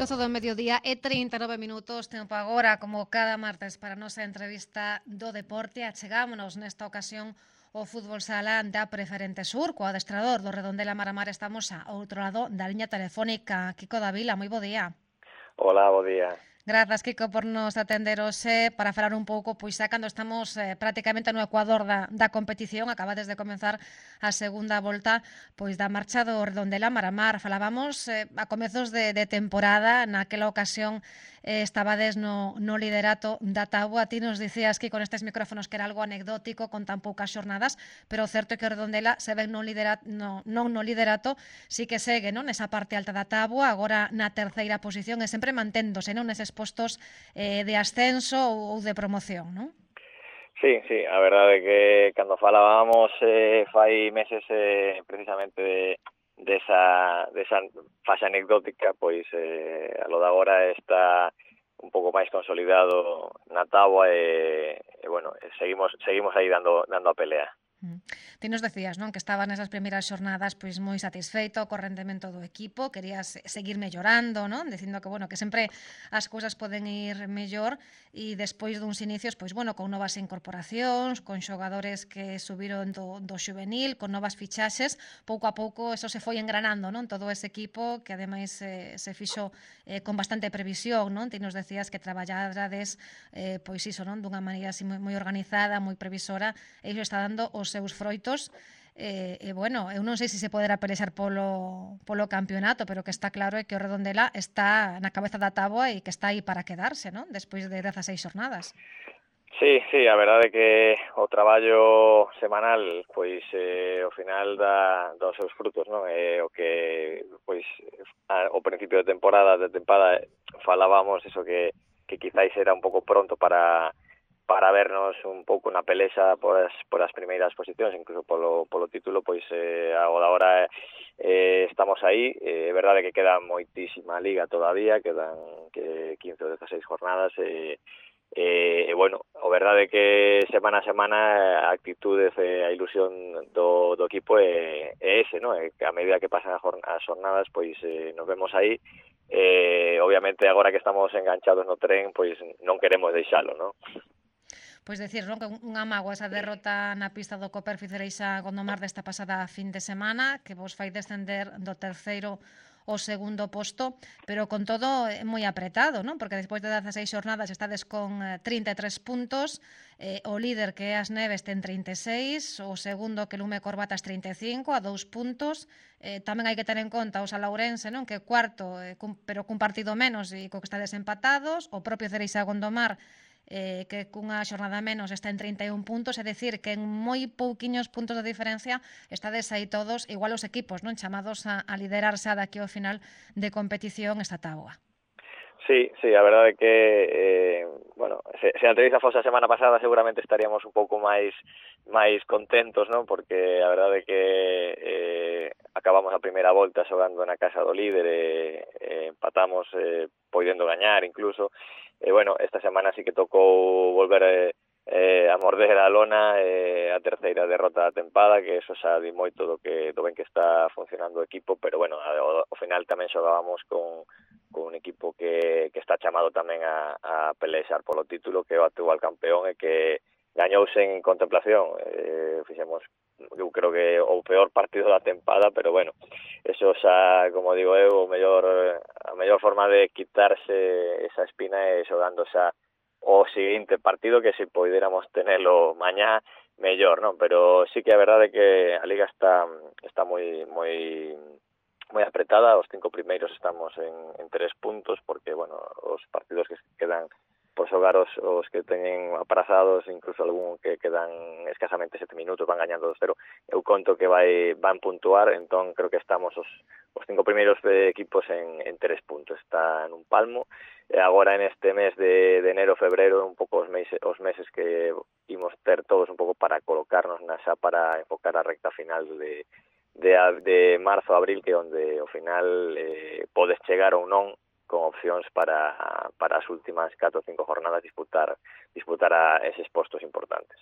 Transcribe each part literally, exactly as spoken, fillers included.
doce do mediodía e trinta e nove minutos, tempo agora, como cada martes, para a nosa entrevista do deporte. Achegámonos nesta ocasión o fútbol sala da Preferente Sur, co adestrador do Redondela Maramar. Estamos ao outro lado da liña telefónica. Kiko Davila, moi bo día. Hola, bo día. Grazas, Kiko, por nos atender hoxe para falar un pouco, pois xa cando estamos eh, prácticamente no ecuador da, da competición, acabades de comenzar a segunda volta pois da marcha do Redondela Maramar. Falábamos eh, a comezos de, de temporada, naquela ocasión eh, estabades no, no liderato da táboa. Ti nos dicías que con estes micrófonos que era algo anecdótico con tan poucas xornadas, pero o certo é que o Redondela se ven no liderato, no, non no liderato, sí que segue non nesa parte alta da táboa, agora na terceira posición e sempre manténdose non neses postos eh, de ascenso ou de promoción, non? Sí, sí, a verdade é que cando falábamos eh, fai meses eh, precisamente de, de esa, de esa fase anecdótica, pois eh, a lo de agora está un pouco máis consolidado na táboa e, e bueno, seguimos seguimos aí dando dando a pelea. Ti nos decías, non, que estabas nesas primeiras xornadas pois moi satisfeito co rendemento do equipo, querías seguir mellorando, non? Dicindo que, bueno, que sempre as cousas poden ir mellor e despois duns inicios, pois, bueno, con novas incorporacións, con xogadores que subiron do, do xuvenil, con novas fichaxes, pouco a pouco eso se foi engranando, non? Todo ese equipo que ademais eh, se fixo eh, con bastante previsión, non? Ti nos decías que traballades eh, pois iso, non? Dunha maneira así moi, moi organizada, moi previsora, e iso está dando os seus froitos. E, e bueno, eu non sei se se poderá pelexar polo, polo campeonato, pero que está claro é que o Redondela está na cabeza da táboa e que está aí para quedarse, non? Despois de dezaseis xornadas. Sí, sí, a verdade é que o traballo semanal, pois, eh, ao final dá, dá os seus frutos, non? É o que, pois, ao principio de temporada, de tempada, falábamos eso que, que quizáis era un pouco pronto para para vernos un pouco na pelexa por as, por as primeiras posicións, incluso polo, polo título, pois eh, agora eh, estamos aí. É eh, verdade que queda moitísima liga todavía, quedan que quince ou dezaseis jornadas, e eh, eh, bueno, o verdade é que semana a semana a actitude e a ilusión do, do equipo é, é ese, non? É que a medida que pasan as jornadas, pois eh, nos vemos aí. Eh, obviamente agora que estamos enganchados no tren, pois non queremos deixalo, non? Pois decir, non, que unha mágoa esa derrota na pista do Coperfi Cereixa Gondomar desta pasada fin de semana, que vos fai descender do terceiro ao segundo posto, pero con todo é moi apretado, non? Porque despois de dezaseis xornadas estades con trinta e tres puntos, eh, o líder que é As Neves ten trinta e seis, o segundo que Lume Corbatas trinta e cinco, a dous puntos. Eh, tamén hai que ter en conta o Salaurense, non? Que cuarto, eh, cun, pero cun partido menos e co que estades empatados, o propio Cereixa Gondomar, Eh, que cunha xornada menos está en trinta e un puntos, é dicir, que en moi pouquiños puntos de diferencia estades aí todos, igual os equipos, non, chamados a, a liderarse daqui ao final de competición esta táboa. Sí, sí, a verdade é que eh, bueno, se, se a entrevista fose a semana pasada seguramente estaríamos un pouco máis máis contentos, non? Porque a verdade é que eh, acabamos a primeira volta xogando na casa do líder e eh, empatamos eh, podendo gañar incluso. E bueno, esta semana sí que tocou volver eh, eh, a morder a lona, eh, a terceira derrota da tempada, que eso xa di moito do que do ben que está funcionando o equipo, pero bueno, ao, ao final tamén xogábamos con con un equipo que, que está chamado tamén a, a pelexar polo título, que é o actual campeón e que gañou sen contemplación. Eh, fixemos, eu creo que o peor partido da tempada, pero bueno, eso xa, como digo eu, o mellor, a mellor forma de quitarse esa espina é xogando xa o seguinte partido, que se poidéramos tenelo mañá, mellor, non? Pero sí que a verdade é que a liga está está moi moi moi apretada. Os cinco primeiros estamos en, en tres puntos, porque, bueno, os partidos que quedan por xogar os, os que teñen aprazados, incluso algún que quedan escasamente sete minutos, van gañando dos cero. Eu conto que vai van puntuar, entón creo que estamos os, os cinco primeiros de equipos en, en tres puntos. Está en un palmo. E agora en este mes de, de enero, febrero, un pouco os meses, os meses que imos ter todos un pouco para colocarnos na xa para enfocar a recta final de De, de marzo a abril, que é onde ao final eh, podes chegar ou non con opcións para, para as últimas catro ou cinco jornadas disputar disputar a eses postos importantes.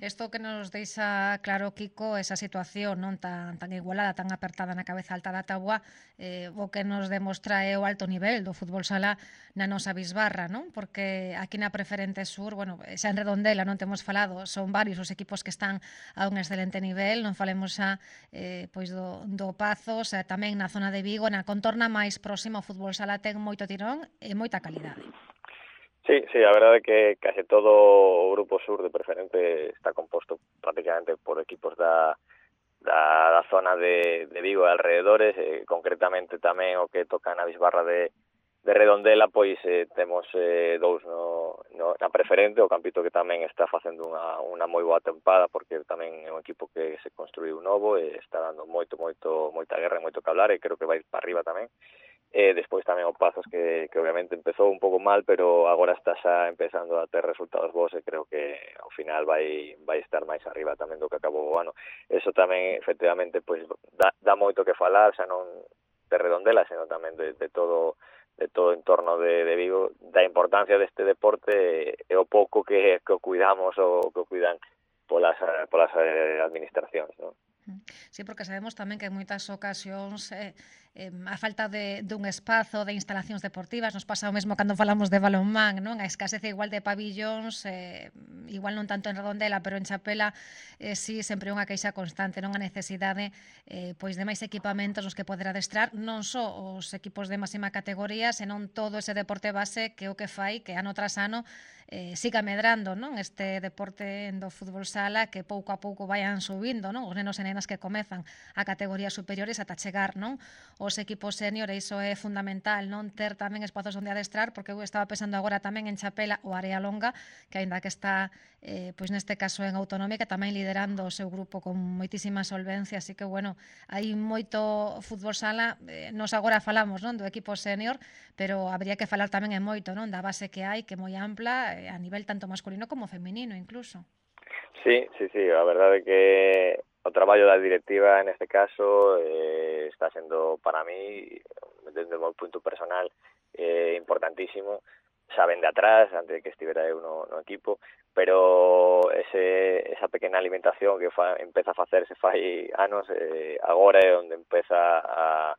Isto que nos deixa claro, Kiko, esa situación non tan tan igualada, tan apertada na cabeza alta da táboa, eh, o que nos demostra é o alto nivel do fútbol sala na nosa bisbarra, non? Porque aquí na Preferente Sur, bueno, xa en Redondela non temos falado, son varios os equipos que están a un excelente nivel, non falemos xa eh, pois do, do Pazo, xa tamén na zona de Vigo, na contorna máis próxima o fútbol sala ten moito tirón e moita calidade. Sí, sí, a verdade é que case todo o grupo sur de Preferente está composto prácticamente por equipos da, da, da zona de, de Vigo e alrededores, eh, concretamente tamén o que toca na bisbarra de, de Redondela, pois eh, temos eh, dous no, no, na Preferente, o Campito que tamén está facendo unha, unha moi boa tempada, porque tamén é un equipo que se construiu novo e está dando moito, moito, moita guerra e moito que hablar, e creo que vai para arriba tamén. E despois tamén o Pazos que, que obviamente empezou un pouco mal, pero agora está xa empezando a ter resultados bons e creo que ao final vai vai estar máis arriba tamén do que acabou o ano. Eso tamén efectivamente pois dá, dá moito que falar, xa non de Redondela, senón tamén de, de todo de todo o entorno de, de Vigo, da importancia deste deporte e o pouco que, que o cuidamos ou que o cuidan polas, polas administracións, non? Sí, porque sabemos tamén que en moitas ocasións eh, eh, a falta de, dun espazo de instalacións deportivas, nos pasa o mesmo cando falamos de balonmán, non? A escasez igual de pabillóns, eh, igual non tanto en Redondela, pero en Chapela eh, sí, sempre unha queixa constante, non a necesidade eh, pois de máis equipamentos nos que poder adestrar non só os equipos de máxima categoría, senón todo ese deporte base que o que fai que ano tras ano eh, siga medrando, non? Este deporte do fútbol sala que pouco a pouco vayan subindo, non? Os nenos e nenas que comezan a categorías superiores ata chegar, non? Os equipos senior, iso é fundamental, non ter tamén espazos onde adestrar, porque eu estaba pensando agora tamén en Chapela o Área Longa, que aínda que está eh, pois neste caso en autonómica, tamén liderando o seu grupo con moitísima solvencia, así que bueno, hai moito fútbol sala, eh, nos agora falamos, non, do equipo senior, pero habría que falar tamén en moito, non, da base que hai, que é moi ampla, a nivel tanto masculino como feminino incluso. Sí, sí, sí, a verdade é que o traballo da directiva neste caso eh, está sendo para mí, desde o meu punto personal, eh, importantísimo. Xa ven de atrás, antes de que estivera eu no, no equipo, pero ese, esa pequena alimentación que fa, empeza a facerse fai anos, eh, agora é onde empeza a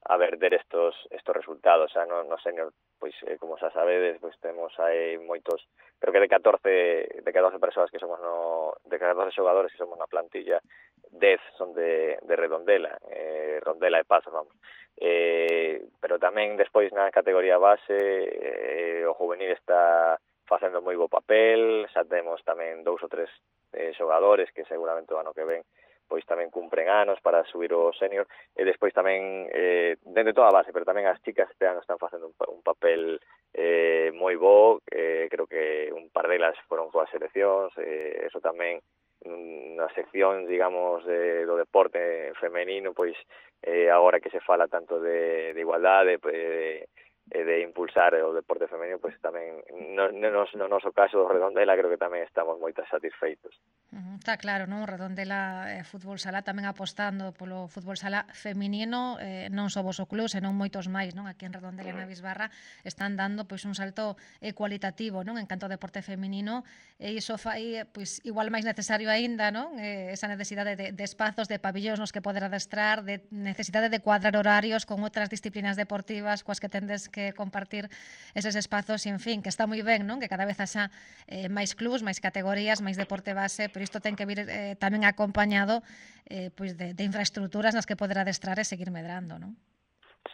a verter estos estos resultados, xa no, no senior, pois eh, como xa sabedes, pois temos aí moitos, creo que de catorce de catorce persoas que somos no de catorce xogadores que somos na plantilla, dez son de de Redondela, eh Rondela e Pazos, vamos. Eh, pero tamén despois na categoría base eh, o juvenil está facendo moi bo papel, xa temos tamén dous ou tres eh, xogadores que seguramente o ano que ven pois tamén cumpren anos para subir o senior, e despois tamén eh, dende toda a base, pero tamén as chicas este ano están facendo un, un papel eh, moi bo, eh, creo que un par delas foron coas seleccións, eh, eso tamén na sección, digamos, de, do deporte femenino, pois eh, agora que se fala tanto de, de igualdade, de, de impulsar o deporte femenino, pois tamén no, no, no noso caso do Redondela creo que tamén estamos moito satisfeitos. Uh, está claro, non? Redondela eh, Fútbol Sala tamén apostando polo fútbol sala feminino, eh, non só vos o club, senón moitos máis, non? Aquí en Redondela e na Bisbarra están dando pois un salto eh, cualitativo, non? En canto ao deporte feminino, e iso fai pois igual máis necesario aínda, non? Eh, esa necesidade de, de espazos, de pabillóns nos que poder adestrar, de necesidade de cuadrar horarios con outras disciplinas deportivas coas que tendes que compartir eses espazos, e en fin, que está moi ben, non? Que cada vez haxa eh, máis clubs, máis categorías, máis deporte base, pero isto ten que vir eh, tamén acompañado eh, pois de, de infraestructuras nas que poder adestrar e seguir medrando, non?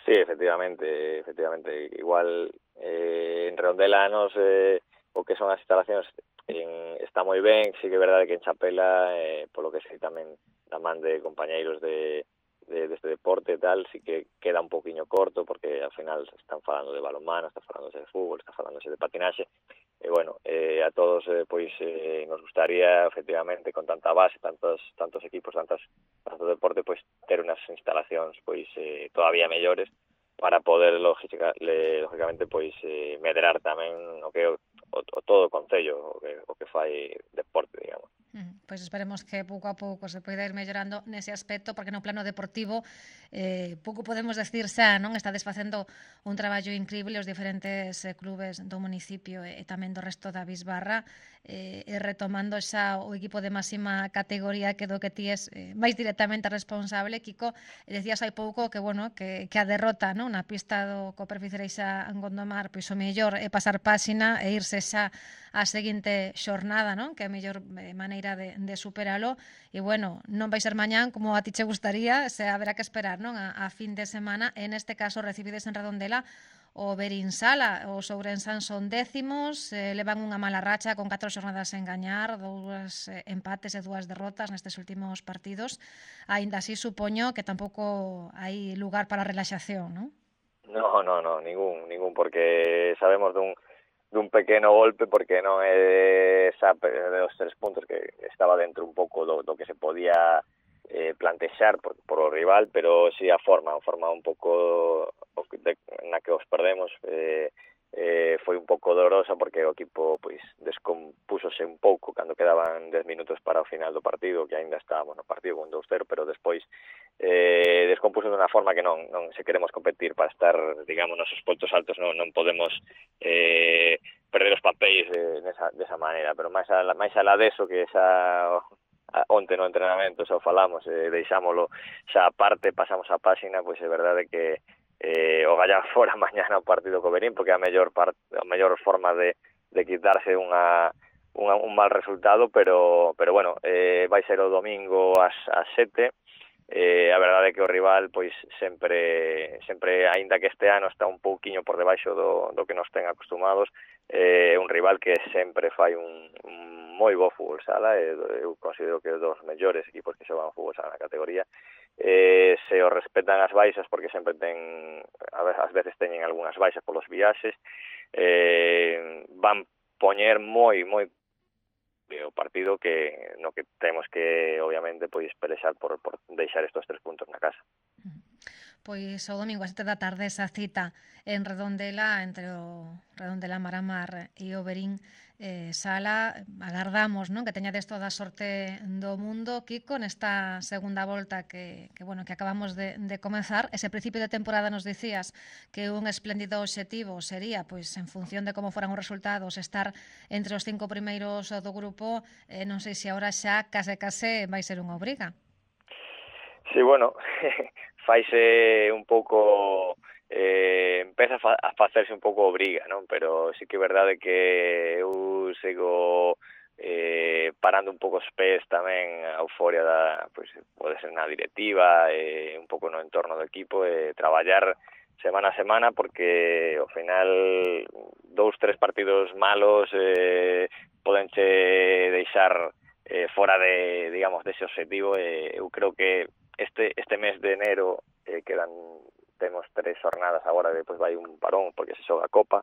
Sí, efectivamente, efectivamente, igual eh, en Redondela nos eh, o que son as instalacións en, está moi ben, sí que é verdade que en Chapela, eh, polo que sei tamén da man de compañeiros de de, de este deporte e tal, sí que queda un poquinho corto, porque ao final están falando de balonmano, están falándose de fútbol, están falándose de patinaxe, e bueno, eh, a todos eh, pois eh, nos gustaría efectivamente con tanta base, tantos tantos equipos, tantas tanto deporte, pois ter unas instalacións pois eh, todavía mellores para poder lógica, le, lógicamente pois eh, medrar tamén o que o, o todo o concello, o que o que fai deporte, digamos. Mm, Pois esperemos que pouco a pouco se poida ir mellorando nese aspecto, porque no plano deportivo eh, pouco podemos decir xa, non? Estades facendo un traballo increíble os diferentes eh, clubes do municipio e, e tamén do resto da Bisbarra, eh, e retomando xa o equipo de máxima categoría que do que ti es eh, máis directamente responsable, Kiko, e decías hai pouco que, bueno, que, que a derrota, non? Na pista do Coperfi Cereixa en Gondomar, pois o mellor é pasar páxina e irse xa a seguinte xornada, non? Que é a mellor eh, maneira de, de superalo. E, bueno, non vai ser mañán como a ti che gustaría, se haberá que esperar, non? A, a fin de semana. En este caso, recibides en Redondela o Berín Sala. Os ourensán son décimos, eh, levan unha mala racha con catro xornadas sen gañar, dous eh, empates e dúas derrotas nestes últimos partidos. Aínda así, supoño que tampouco hai lugar para relaxación, non? No, no, no, ningún, ningún, porque sabemos dun dun pequeno golpe, porque non é esa de os tres puntos que estaba dentro un pouco do, do que se podía eh, plantexar por, por o rival, pero si sí a forma, a forma un pouco de, na que os perdemos eh, eh, foi un pouco dolorosa, porque o equipo pois descompúsose un pouco cando quedaban dez minutos para o final do partido, que aínda estábamos no partido con dous cero, pero despois eh, descompuso de unha forma que non, non se queremos competir para estar, digamos, nos postos altos, non, non podemos eh, perder os papéis de, desa, desa maneira, pero máis a, máis alá deso, que xa onte no entrenamento xa o falamos, eh, deixámolo xa aparte, pasamos a páxina, pois é verdade que eh, o gallar fora mañana o partido co Berín, porque é a mellor, part, a mellor forma de, de quitarse unha, unha, un mal resultado, pero, pero bueno, eh, vai ser o domingo ás, ás sete. Eh, a verdade é que o rival pois sempre, sempre aínda que este ano está un pouquiño por debaixo do, do que nos ten acostumados, é eh, un rival que sempre fai un, un moi bo fútbol sala, e eu considero que é dos mellores equipos que xogan fútbol sala na categoría. Eh, se o respetan as baixas, porque sempre ten, a ver, ás veces teñen algunhas baixas polos viaxes, eh, van poñer moi, moi o partido que no que temos que, obviamente, pois pelexar por, por deixar estos tres puntos na casa. Pois o domingo a sete da tarde esa cita en Redondela entre o Redondela Maramar e o Berín eh, Sala. Agardamos, non, que teñades toda a sorte do mundo, Kiko, nesta segunda volta que, que, bueno, que acabamos de, de comenzar. Ese principio de temporada nos dicías que un espléndido obxectivo sería, pois, en función de como foran os resultados, estar entre os cinco primeiros do grupo. Eh, non sei se agora xa case case vai ser unha obriga. Sí, bueno, faise un pouco, eh, empeza a, fa, a facerse un pouco obriga, non? Pero sí que é verdade que eu sigo eh, parando un pouco os pés tamén a euforia da, pois, pode ser na directiva, eh, un pouco no entorno do equipo, e eh, traballar semana a semana, porque ao final dous, tres partidos malos eh, podenche deixar eh, fora de, digamos, dese objetivo. Eh, eu creo que Este, este mes de enero eh, quedan, temos tres jornadas agora, depois vai un parón porque se xoga a Copa.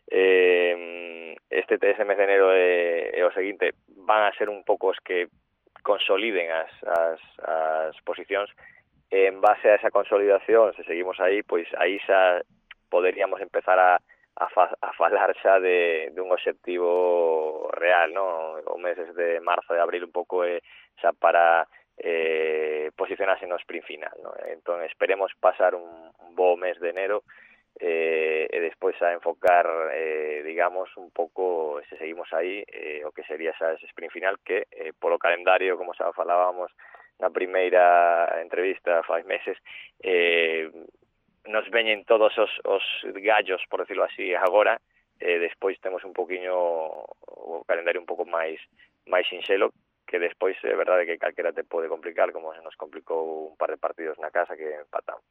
Eh, este, este mes de enero e, e o seguinte van a ser un pouco os que consoliden as, as, as posicións. En base a esa consolidación, se seguimos aí, pois aí xa poderíamos empezar a, a, fa, a falar xa de, de un objetivo real, non? O meses de marzo e abril un pouco é xa para eh, posicionarse no sprint final, ¿no? Entón esperemos pasar un, un bo mes de enero eh, e despois a enfocar eh, digamos un pouco, se seguimos aí, eh, o que sería xa ese sprint final, que eh, polo calendario, como xa falábamos na primeira entrevista fai meses, eh, nos veñen todos os, os gallos, por decirlo así, agora. Eh, despois temos un poquinho o calendario un pouco máis máis sinxelo, que despois é verdade que calquera te pode complicar, como se nos complicou un par de partidos na casa que empatamos.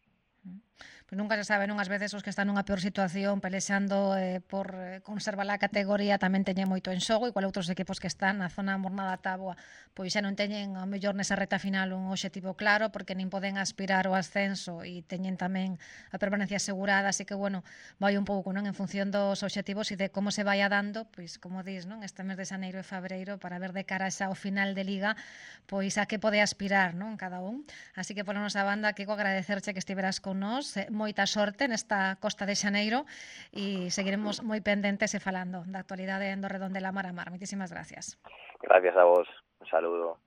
Pois nunca se sabe, non? Ás veces os que están nunha peor situación pelexando eh, por eh, conservar a categoría tamén teñen moito en xogo, igual outros equipos que están na zona morna da táboa pois xa non teñen ao mellor nesa reta final un obxectivo claro, porque nin poden aspirar ao ascenso e teñen tamén a permanencia asegurada, así que, bueno, vai un pouco, non, en función dos obxectivos e de como se vai dando, pois, como dis, non, este mes de xaneiro e febreiro, para ver de cara xa ao final de Liga, pois a que pode aspirar, non, cada un. Así que, pola nosa banda, Kiko, agradecerche que estiveras con nós, moita sorte nesta Costa de Xaneiro e seguiremos moi pendentes e falando da actualidade do Redondela Maramar. Moitísimas gracias. Gracias a vos, un saludo.